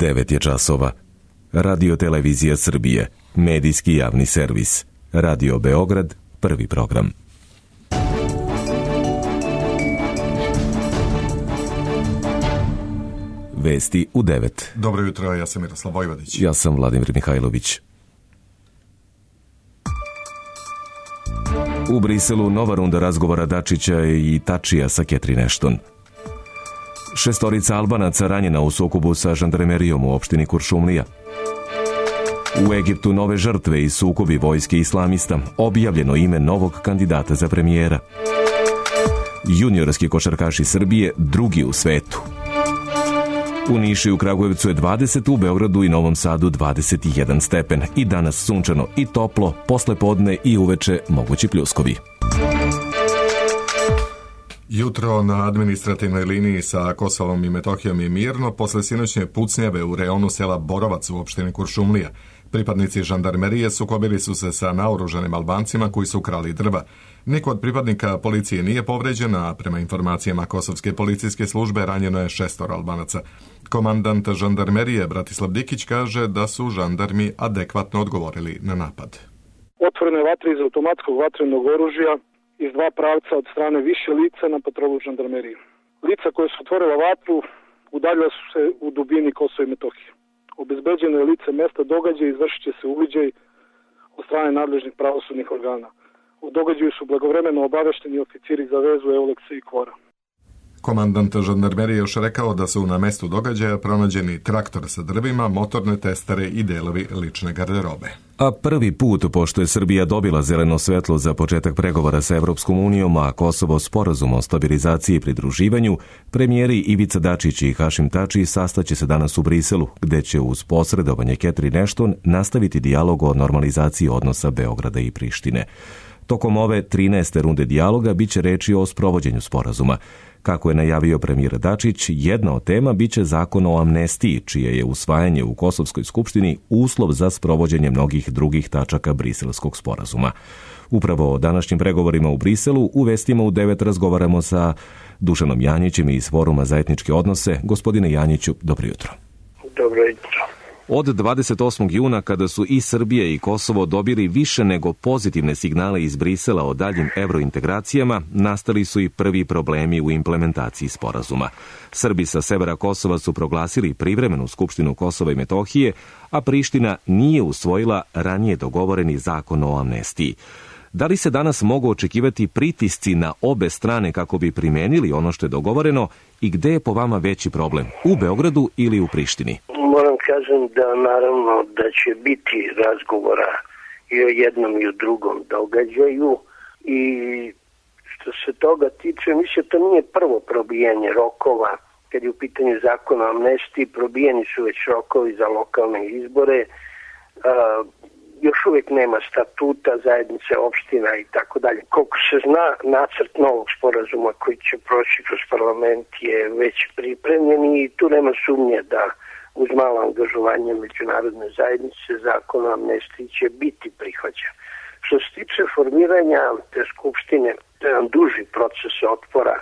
9 je časova. Radio Televizija Srbije, medijski javni servis. Radio Beograd, prvi program. Vesti u 9. Dobro jutro, ja sam Miroslav Vojvodić. Ja sam Vladimir Mihajlović. U Briselu nova runda razgovora Dačića i Tačija sa Catherine Ashton. 6 Albanaca ranjena u sukobu sa žandarmerijom u opštini Kuršumlija. U Egiptu nove žrtve i sukobi vojske islamista. Objavljeno ime novog kandidata za premijera. Juniorski košarkaši Srbije drugi u svetu. U Nišu i u Kragujevcu je 20, u Beogradu i Novom Sadu 21 stepen. I danas sunčano i toplo, posle podne i uveče mogući pljuskovi. Jutro na administrativnoj liniji sa Kosovom i Metohijom je mirno posle sinoćnje pucnjeve u reonu sela Borovac u opštini Kuršumlija. Pripadnici žandarmerije sukobili su se sa naoružanim Albancima koji su krali drva. Niko od pripadnika policije nije povređen, a prema informacijama Kosovske policijske službe ranjeno je 6 Albanaca. Komandant žandarmerije Bratislav Dikić kaže da su žandarmi adekvatno odgovorili na napad. Otvorene vatre iz automatskog vatrenog oružja iz dva pravca od strane više lica na patrolu žandarmerije. Lica koje su otvorila vatru udaljila su se u dubini Kosova i Metohije. Obezbeđeno je lice mesta događaja i izvršit će se uviđaj od strane nadležnih pravosudnih organa. U događaju su blagovremeno obavešteni oficiri za vezu Euleksa i Kvora. Komandant žandarmerije još rekao da su na mestu događaja pronađeni traktor sa drvima, motorne testere i delovi lične garderobe. A prvi put, pošto je Srbija dobila zeleno svetlo za početak pregovora sa Evropskom unijom, a Kosovo sporazum o stabilizaciji i pridruživanju, premijeri Ivica Dačić i Hašim Tači sastaće se danas u Briselu, gde će uz posredovanje Catherine Ashton nastaviti dijalog o normalizaciji odnosa Beograda i Prištine. Tokom ove 13. runde dijaloga biće reči o sprovođenju sporazuma. Kako je najavio premijer Dačić, jedna od tema biće zakon o amnestiji, čije je usvajanje u Kosovskoj skupštini uslov za sprovođenje mnogih drugih tačaka briselskog sporazuma. Upravo o današnjim pregovorima u Briselu u vestima u 9 razgovaramo sa Dušanom Janjićem iz Foruma za etničke odnose. Gospodine Janjiću, dobro jutro. Dobro jutro. Od 28. juna, kada su i Srbija i Kosovo dobili više nego pozitivne signale iz Brisela o daljim evrointegracijama, nastali su i prvi problemi u implementaciji sporazuma. Srbi sa severa Kosova su proglasili privremenu skupštinu Kosova i Metohije, a Priština nije usvojila ranije dogovoreni zakon o amnestiji. Da li se danas mogu očekivati pritisci na obe strane kako bi primenili ono što je dogovoreno i gde je po vama veći problem, u Beogradu ili u Prištini? Moram kažem da naravno da će biti razgovora i o jednom i o drugom događaju i što se toga tiče, mislim to nije prvo probijanje rokova. Kad je u pitanju zakona o amnestiji, probijeni su već rokovi za lokalne izbore, još uvijek nema statuta zajednice opština i tako dalje. Koliko se zna, nacrt novog sporazuma koji će proći kroz parlament je već pripremljen i tu nema sumnje da uz malo angažovanje međunarodne zajednice zakon o amnestiji će biti prihvaćen. Što se tiče formiranja te skupštine, to je jedan duži proces otpora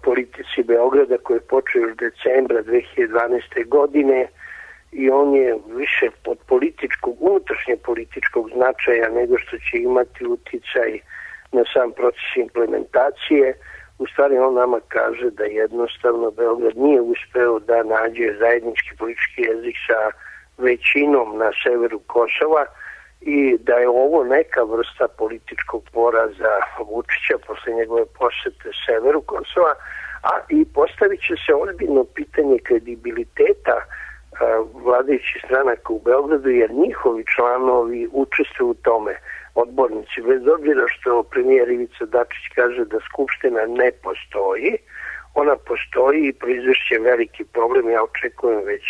politici Beograda koji je počeo još decembra 2012. godine i on je više od unutrašnje političkog značaja nego što će imati uticaj na sam proces implementacije. U stvari on nama kaže da jednostavno Beograd nije uspeo da nađe zajednički politički jezik sa većinom na severu Kosova i da je ovo neka vrsta političkog poraza Vučića posle njegove posete severu Kosova, a i postavit će se ozbiljno pitanje kredibiliteta vladajućih stranaka u Beogradu, jer njihovi članovi učestvuju u tome, odbornici, bez obzira što premijer Ivica Dačić kaže da skupština ne postoji, ona postoji i proizvešće veliki problem. Ja očekujem već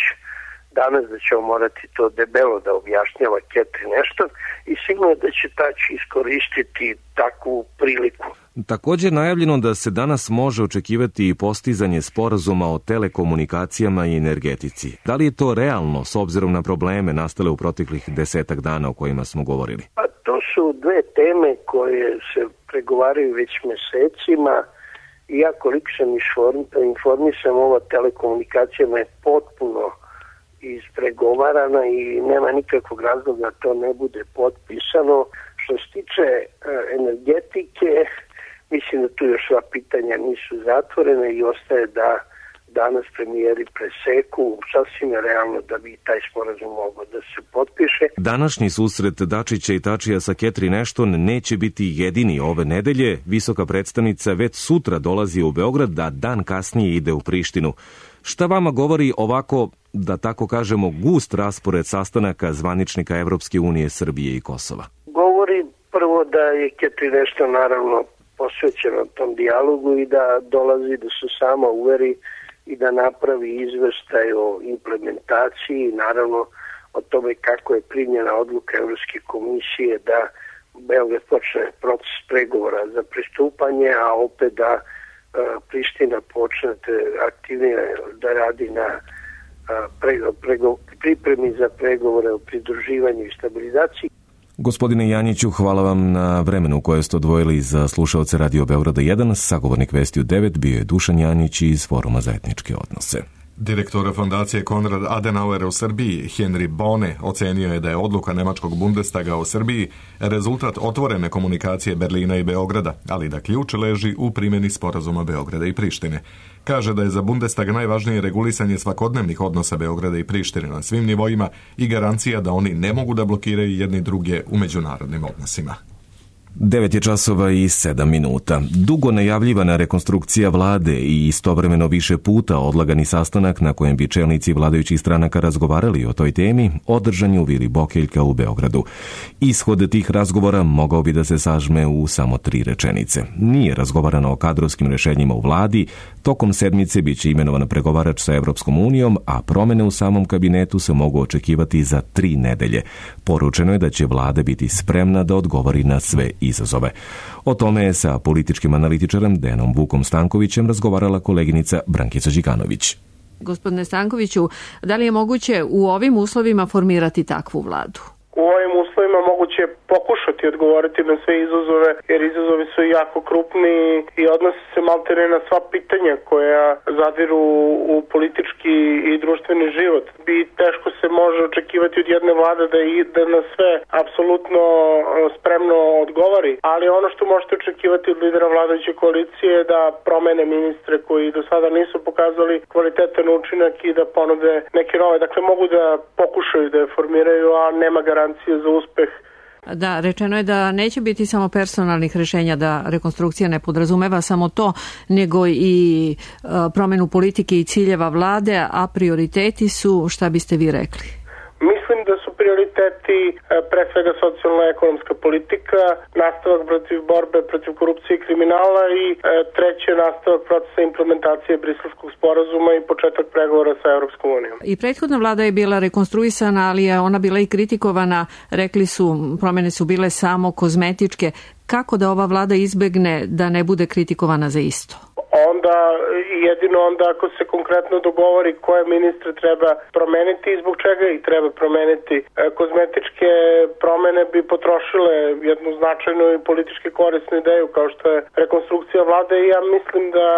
danas da ćemo morati to debelo da objašnjava Catherine Ashton i sigurno da će Tači iskoristiti takvu priliku. Također najavljeno da se danas može očekivati i postizanje sporazuma o telekomunikacijama i energetici. Da li je to realno s obzirom na probleme nastale u proteklih 10 dana o kojima smo govorili? Pa to su dve teme koje se pregovaraju već mesecima i ja koliko sam informisan, ova telekomunikacijama je potpuno ispregovarana i nema nikakvog razloga da to ne bude potpisano. Što se tiče energetike, mislim da tu još sva pitanja nisu zatvorene i ostaje da danas premijeri preseku, sasvim je realno da bi taj sporazum mogao da se potpiše. Današnji susret Dačića i Tačija sa Catherine Ashton neće biti jedini ove nedelje. Visoka predstavnica već sutra dolazi u Beograd, da dan kasnije ide u Prištinu. Šta vama govori ovako, da tako kažemo, gust raspored sastanaka zvaničnika Evropske unije, Srbije i Kosova? Govori prvo da je Catherine Ashton naravno posvećena tom dijalogu i da dolazi da se sama uveri i da napravi izveštaj o implementaciji, naravno o tome kako je primljena odluka Evropske komisije da Beograd počne proces pregovora za pristupanje, a opet da Priština počne aktivnije da radi na pripremi za pregovore o pridruživanju i stabilizaciji. Gospodine Janjiću, hvala vam na vremenu koje ste odvojili za slušaoce Radio Beograda 1. Sagovornik Vesti u 9 bio je Dušan Janjić iz Foruma za etničke odnose. Direktor fondacije Konrad Adenauer u Srbiji, Henry Bone, ocenio je da je odluka nemačkog Bundestaga o Srbiji rezultat otvorene komunikacije Berlina i Beograda, ali da ključ leži u primjeni sporazuma Beograda i Prištine. Kaže da je za Bundestag najvažnije regulisanje svakodnevnih odnosa Beograda i Prištine na svim nivoima i garancija da oni ne mogu da blokiraju jedni druge u međunarodnim odnosima. 9:07. Dugo najavljivana rekonstrukcija vlade i istovremeno više puta odlagani sastanak na kojem bi čelnici vladajućih stranaka razgovarali o toj temi održan je u Vili Bokeljka u Beogradu. Ishod tih razgovora mogao bi da se sažme u samo 3 rečenice. Nije razgovarano o kadrovskim rešenjima u vladi, tokom sedmice biće imenovan pregovarač sa Evropskom unijom, a promene u samom kabinetu se mogu očekivati za 3 nedelje. Poručeno je da će vlada biti spremna da odgovori na sve izazove. O tome je sa političkim analitičarem Dejanom Vukom Stankovićem razgovarala koleginica Brankica Đikanović. Gospodine Stankoviću, da li je moguće u ovim uslovima formirati takvu vladu? U ovim uslovima moguće pokušati odgovoriti na sve izazove, jer izazovi su jako krupni i odnose se maltene na sva pitanja koja zadiru u politički i društveni život. Teško se može očekivati od jedne vlade da na sve apsolutno spremno odgovori, ali ono što možete očekivati od lidera vladajuće koalicije je da promene ministre koji do sada nisu pokazali kvalitetan učinak i da ponude neke nove. Dakle, mogu da pokušaju da je formiraju, a nema garancije za uspeh. Da, rečeno je da neće biti samo personalnih rešenja, da rekonstrukcija ne podrazumeva samo to, nego i promenu politike i ciljeva vlade, a prioriteti su, šta biste vi rekli? Mislim da su prioriteti pre svega socijalno-ekonomska politika, nastavak protiv borbe protiv korupcije i kriminala i treće nastavak procesa implementacije Briselskog sporazuma i početak pregovora sa Evropskom unijom. I prethodna vlada je bila rekonstruisana, ali je ona bila i kritikovana, rekli su, promene su bile samo kozmetičke. Kako da ova vlada izbegne da ne bude kritikovana za isto? Jedino onda ako se konkretno dogovori koje ministre treba promeniti i zbog čega ih treba promeniti. Kozmetičke promene bi potrošile jednu značajnu i politički korisnu ideju kao što je rekonstrukcija vlade i ja mislim da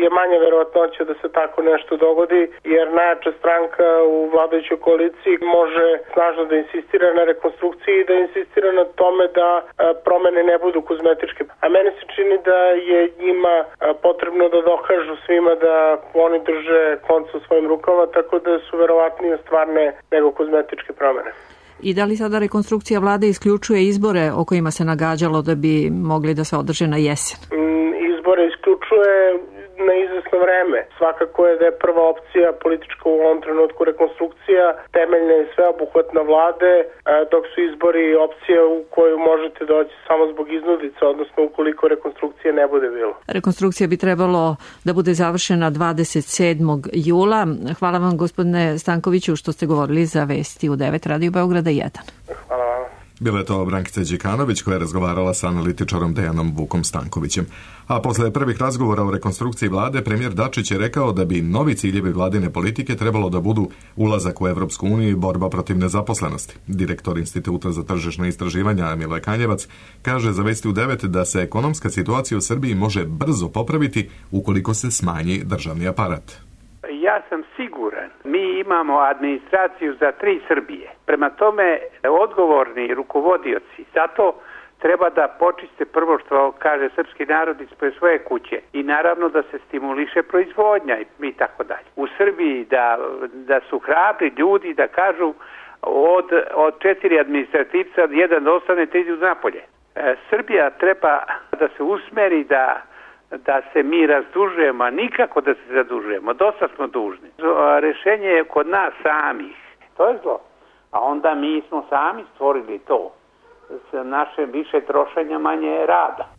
je manja verovatnoća da se tako nešto dogodi, jer najjača stranka u vladajućoj koaliciji može snažno da insistira na rekonstrukciji i da insistira na tome da promene ne budu kozmetičke. A meni se čini da je njima potrebno da dokažu svima da oni drže konce u svojim rukama, tako da su verovatnije stvarne nego kozmetičke promene. I da li sada rekonstrukcija vlade isključuje izbore o kojima se nagađalo da bi mogli da se održe na jesen? Izbore isključuje na izvesno vreme. Svakako je da je prva opcija politička u ovom trenutku rekonstrukcija, temeljna i sveobuhvatna vlade, dok su izbori opcija u koju možete doći samo zbog iznudica, odnosno ukoliko rekonstrukcije ne bude bilo. Rekonstrukcija bi trebalo da bude završena 27. jula. Hvala vam, gospodine Stankoviću, što ste govorili za Vesti u 9 Radio Beograda 1. Hvala vam. Bila je to Brankica Đikanović koja je razgovarala sa analitičarom Dejanom Vukom Stankovićem. A posle prvih razgovora o rekonstrukciji vlade, premijer Dačić je rekao da bi novi ciljevi vladine politike trebalo da budu ulazak u Evropsku uniju i borba protiv nezaposlenosti. Direktor Instituta za tržišna istraživanja Mile Kanjevac kaže za Vesti u 9 da se ekonomska situacija u Srbiji može brzo popraviti ukoliko se smanji državni aparat. Ja sam siguran, mi imamo administraciju za 3 Srbije. Prema tome, odgovorni rukovodioci, zato treba da počiste prvo što kaže srpski narod ispred svoje kuće i naravno da se stimuliše proizvodnja i tako dalje. U Srbiji da su hrabri ljudi da kažu od 4 administrativca jedan da ostane, 3 idu napolje. Srbija treba da se usmeri da se mi razdužujemo, a nikako da se zadužujemo. Dosta smo dužni. Rešenje je kod nas samih. To je zlo. A onda mi smo sami stvorili to. S našem više trošenja, manje rada.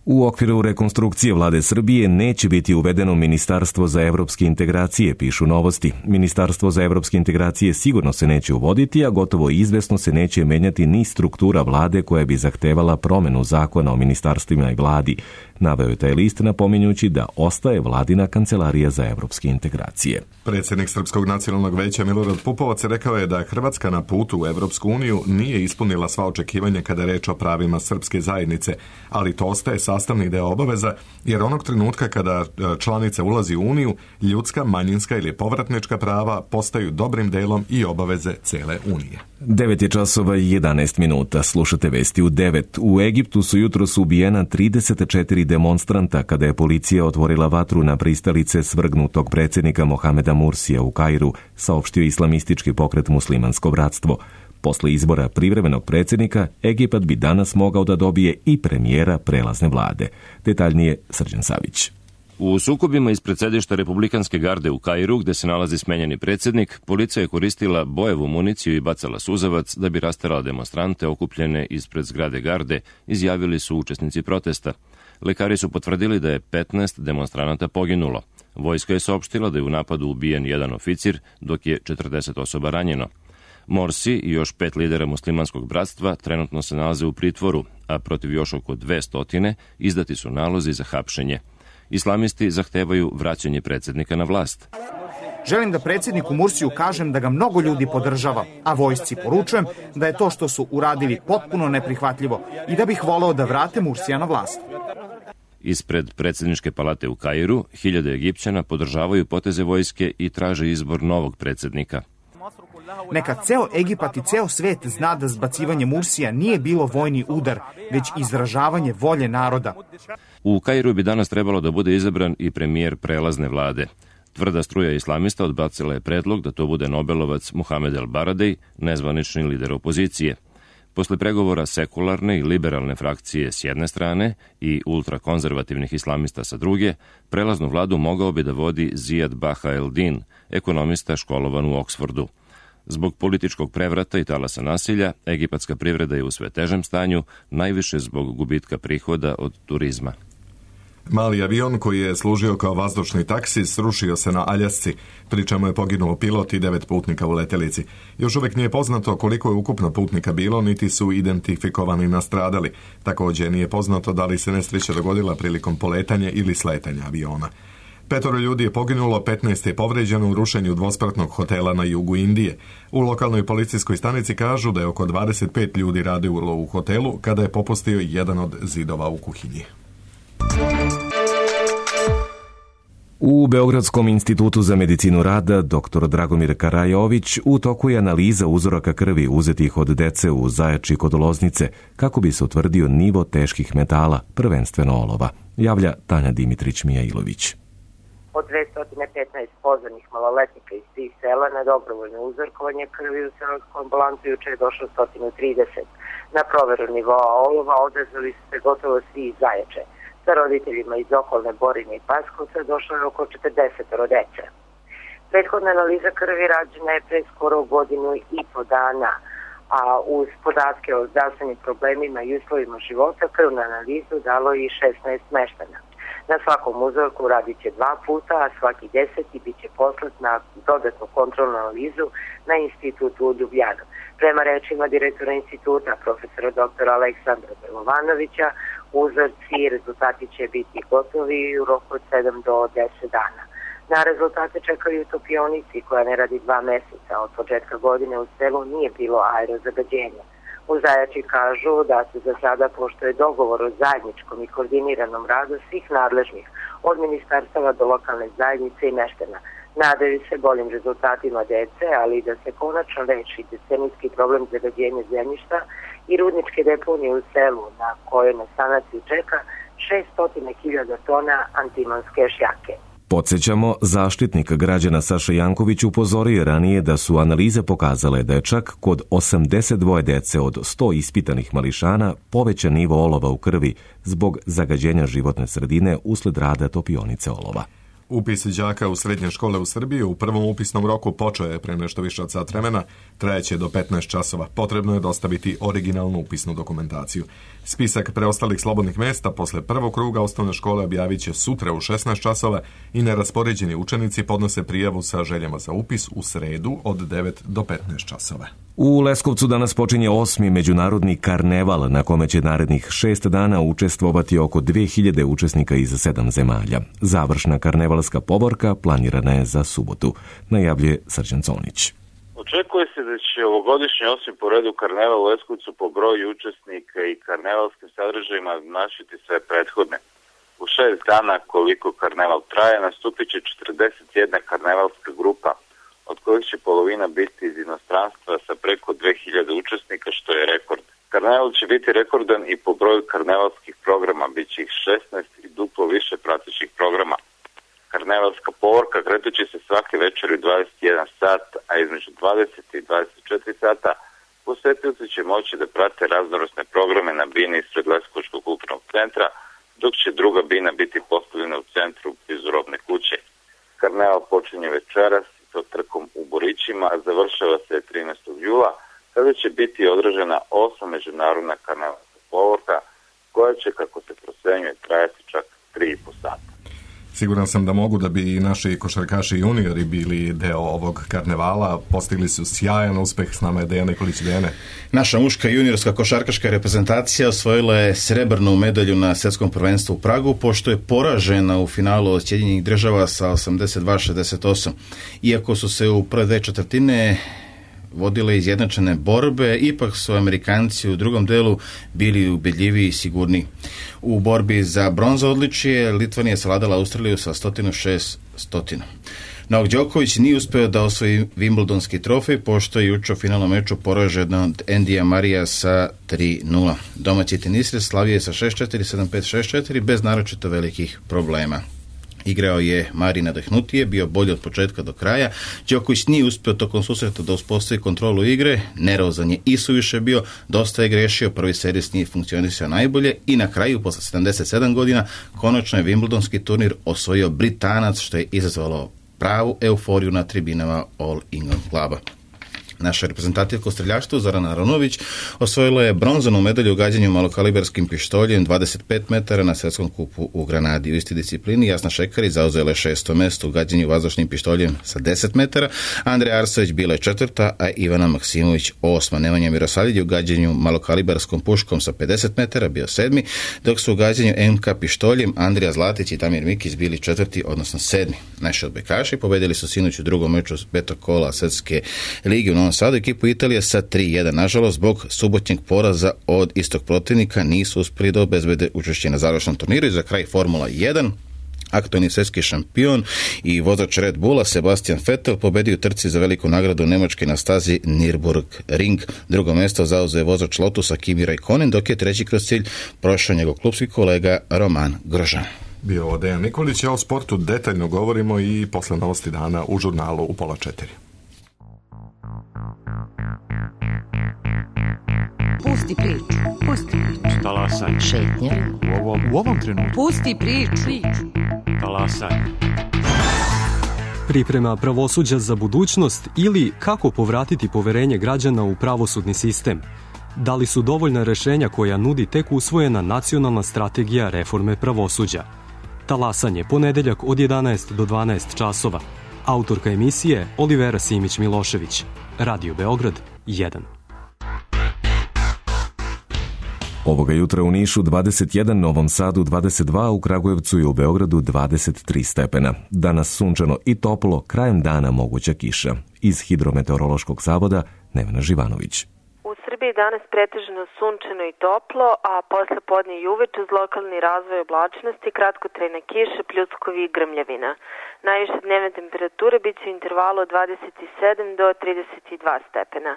U okviru rekonstrukcije vlade Srbije neće biti uvedeno Ministarstvo za evropske integracije, pišu Novosti. Ministarstvo za evropske integracije sigurno se neće uvoditi, a gotovo izvesno se neće menjati ni struktura vlade koja bi zahtevala promenu zakona o ministarstvima i vladi. Naveo je taj list napominjući da ostaje vladina kancelarija za evropske integracije. Predsjednik Srpskog nacionalnog veća Milorad Pupovac rekao je da Hrvatska na putu u Evropsku uniju nije ispunila sva očekivanja kada je reč o pravima srpske zajednice, ali to ostaje sastavni deo obaveza, jer onog trenutka kada članica ulazi u Uniju, ljudska, manjinska ili povratnička prava postaju dobrim delom i obaveze cele Unije. 9:11. Slušate vesti u 9. U Egiptu su jutros ubijena 34 demonstranta kada je policija otvorila vatru na pristalice svrgnutog predsjednika Mohameda Mursija u Kairu, saopštio islamistički pokret Muslimansko bratstvo. Posle izbora privremenog predsjednika, Egipat bi danas mogao da dobije i premijera prelazne vlade. Detaljnije Srđan Savić. U sukobima ispred sedišta Republikanske garde u Kairu, gde se nalazi smenjeni predsjednik, policija je koristila bojevu municiju i bacala suzavac da bi rasterala demonstrante okupljene ispred zgrade garde, izjavili su učesnici protesta. Lekari su potvrdili da je 15 demonstranata poginulo. Vojska je saopštila da je u napadu ubijen jedan oficir, dok je 40 osoba ranjeno. Morsi i još 5 lidera muslimanskog bratstva trenutno se nalaze u pritvoru, a protiv još oko 200 izdati su nalozi za hapšenje. Islamisti zahtevaju vraćanje predsjednika na vlast. Želim da predsjedniku Mursiju kažem da ga mnogo ljudi podržava, a vojsci poručujem da je to što su uradili potpuno neprihvatljivo i da bih voleo da vrate Mursija na vlast. Ispred predsjedničke palate u Kairu, hiljade Egipćana podržavaju poteze vojske i traže izbor novog predsjednika. Neka ceo Egipat i ceo svet zna da zbacivanje Mursija nije bilo vojni udar, već izražavanje volje naroda. U Kairu bi danas trebalo da bude izabran i premijer prelazne vlade. Tvrda struja islamista odbacila je predlog da to bude Nobelovac Mohamed El Baradej, nezvanični lider opozicije. Posle pregovora sekularne i liberalne frakcije s jedne strane i ultrakonzervativnih islamista sa druge, prelaznu vladu mogao bi da vodi Zijad Baha el-Din, ekonomista školovan u Oksfordu. Zbog političkog prevrata i talasa nasilja, egipatska privreda je u sve težem stanju, najviše zbog gubitka prihoda od turizma. Mali avion koji je služio kao vazdušni taksi srušio se na Aljasci, pri čemu je poginuo pilot i 9 putnika u letelici. Još uvijek nije poznato koliko je ukupno putnika bilo, niti su identifikovani nastradali. Također nije poznato da li se nesreća dogodila prilikom poletanja ili sletanja aviona. 5 ljudi je poginulo, 15 je povređeno u rušenju dvospratnog hotela na jugu Indije. U lokalnoj policijskoj stanici kažu da je oko 25 ljudi radilo u hotelu kada je popustio jedan od zidova u kuhinji. U Beogradskom institutu za medicinu rada dr. Dragomir Karajović u toku je analiza uzoraka krvi uzetih od dece u Zajači kod Loznice kako bi se utvrdio nivo teških metala, prvenstveno olova, javlja Tanja Dimitrić-Mijailović. Od 215 pozvanih maloletnika iz tih sela na dobrovoljno uzorkovanje krvi u selskom ambulantu juče je došlo 130. Na proveru nivoa olova odazvali su se gotovo svi iz Zajače. Sa roditeljima iz okolne Borine i Paskovca došlo je oko 40 dece. Prethodna analiza krvi rađena je pre skoro godinu i po dana, a uz podatke o zdravstvenim problemima i uslovima života krvnu analizu dalo i 16 meštana. Na svakom uzorku radit će 2 puta, a svaki 10. bit će poslat na dodatnu kontrolnu analizu na institutu u Ljubljanu. Prema rečima direktora instituta, profesora dr. Aleksandra Belovanovića, uzorci i rezultati će biti gotovi u roku od 7 do 10 dana. Na rezultate čekaju topionici koja ne radi 2 meseca. Od početka godine u selu nije bilo aerozagađenja. U Zajači kažu da se za sada poštuje dogovor o zajedničkom i koordiniranom radu svih nadležnih, od ministarstava do lokalne zajednice i meštana. Nadaju se boljim rezultatima dece, ali i da se konačno reši decenijski problem zagađenja zemljišta i rudničke deponije u selu na kojoj na sanaciju čeka 600.000 tona antimonske šljake. Podsjećamo, zaštitnik građana Saša Janković upozorio je ranije da su analize pokazale da je čak kod 82 dece od 100 ispitanih mališana povećan nivo olova u krvi zbog zagađenja životne sredine usled rada topionice olova. Upis đaka u srednje škole u Srbiji u prvom upisnom roku počeo je pre nešto više od sat vremena, trajeće do 15 časova. Potrebno je dostaviti originalnu upisnu dokumentaciju. Spisak preostalih slobodnih mesta posle prvog kruga osnovne škole objavit će sutra u 16 časova i neraspoređeni učenici podnose prijavu sa željama za upis u sredu od 9 do 15 časova. U Leskovcu danas počinje 8. međunarodni karneval na kome će narednih 6 dana učestvovati oko 2000 učesnika iz 7 zemalja. Završna karnevalska povorka planirana je za subotu, najavljuje Srđan Conić. Očekuje se da će ovogodišnji 8. po redu karneval u Leskovcu po broju učesnika i karnevalskim sadržajima našiti sve prethodne. U 6 dana koliko karneval traje nastupit će 41 karnevalska grupa, od kojih će polovina biti iz inostranstva sa preko 2000 učesnika, što je rekord. Karneval će biti rekordan i po broju karnevalskih programa, bit će ih 16 i duplo više pratećih programa. Karnevalska povorka kretaće se svake večeri u 21 sat, a između 20 i 24 sata posetioci će moći da prate raznovrsne programe na bini ispred Leskovačkog kulturnog centra, dok će druga bina biti postavljena u centru blizu robne kuće. Karneval počinje večeras sa trkom u Borićima, a završava se 13. jula, kada će biti održana 8. međunarodna karnevalska povorka, koja će, kako se procenjuje, trajati čak 3,5 sata. Siguran sam da mogu da bi i naši košarkaši juniori bili deo ovog karnevala. Postigli su sjajan uspeh. S nama je Dejan Nikolić. Dejane. Naša muška juniorska košarkaška reprezentacija osvojila je srebrnu medalju na svjetskom prvenstvu u Pragu, pošto je poražena u finalu od Sjedinjenih Država sa 82-68. Iako su se u prve dve četvrtine vodile izjednačene borbe, ipak su Amerikanci u drugom delu bili ubedljiviji i sigurniji. U borbi za bronzo odličje Litvanija savladala Australiju sa 106-100. Novak Đoković nije uspeo da osvoji Wimbledonski trofej, pošto je juče u finalnom meču poražen od Endija Marija sa 3-0. Domaći tenisir slavio je sa 6-4, 7-5, 6-4 bez naročito velikih problema. Igrao je Mari nadahnutije, bio bolji od početka do kraja. Đoković nije uspio tokom susreta da uspostavi kontrolu igre, nervozan je i suviše bio, dosta je grešio, prvi servis nije funkcionisao najbolje i na kraju, posle 77 godina, konačno je Wimbledonski turnir osvojio Britanac, što je izazvalo pravu euforiju na tribinama All England kluba. Naša reprezentativka u streljaštvu Zorana Aronović osvojila je bronzanu medalju u gađanju malokalibarskim pištoljem 25 metara na svjetskom kupu u Granadi. U istoj disciplini Jasna Šekari zauzela je 6. mesto u gađanju vazdušnim pištoljem sa 10 metara, Andreja Arsović bila je 4., a Ivana Maksimović 8. Nemanja Mirosavljević u gađanju malokalibarskom puškom sa 50 metara bio 7., dok su u gađanju MK pištoljem Andrija Zlatić i Damir Mikić bili 4., odnosno 7. Naši odbojkaši pobedili su sinoć u drugom meču petog kola Svjetske lige u Novom Sadu ekipu Italije sa 3-1. Nažalost, zbog subotnjeg poraza od istog protivnika nisu uspjeli da obezbede učešće na završnom turniru. I za kraj Formula 1. Aktualni svjetski šampion i vozač Red Bulla Sebastian Vettel pobedio u trci za veliku nagradu Nemačke na stazi Nürburgring. Drugo mjesto zauzeo je vozač Lotusa Kimi Raikkonen, dok je treći kroz cilj prošao njegov klupski kolega Romain Grosjean. Bio ovo Dejan Nikolić, a o sportu detaljno govorimo i posle novosti dana u žurnalu u 3:30. Pusti priču. Pusti priču. Talasaj. Šetnja. U ovom trenutku. Pusti priču. Talasaj. Priprema pravosuđa za budućnost ili kako povratiti poverenje građana u pravosudni sistem. Da li su dovoljna rešenja koja nudi tek usvojena nacionalna strategija reforme pravosuđa? Talasanje, ponedeljak od 11 do 12 časova. Autorka emisije Olivera Simić-Milošević. Radio Beograd 1. Ovoga jutra u Nišu 21, Novom Sadu 22, u Kragujevcu i u Beogradu 23 stepena. Danas sunčano i toplo, krajem dana moguća kiša. Iz Hidrometeorološkog zavoda Nevena Živanović. U Srbiji danas pretežno sunčano i toplo, a posle podne i uveče uz lokalni razvoj oblačnosti, kratkotrajna kiša, pljuskovi i grmljavina. Najviše dnevne temperature bit će u intervalu od 27 do 32 stepena.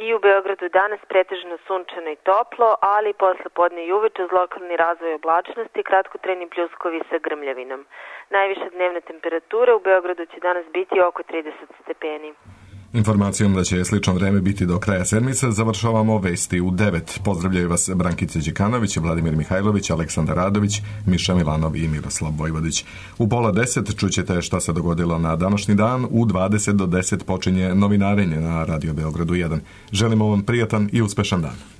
I u Beogradu danas pretežno sunčano i toplo, ali posle podne i uveče uz lokalni razvoj oblačnosti kratkotrajni pljuskovi sa grmljavinom. Najviša dnevna temperatura u Beogradu će danas biti oko 30 stepeni. Informacijom da će slično vreme biti do kraja sedmice završavamo vesti u 9. Pozdravljaju vas Brankica Đikanović, Vladimir Mihajlović, Aleksandar Radović, Miša Milanov i Miroslav Vojvodić. U 9:30 čućete šta se dogodilo na današnji dan. U 20 do 10 počinje novinarenje na Radio Beogradu 1. Želimo vam prijatan i uspešan dan.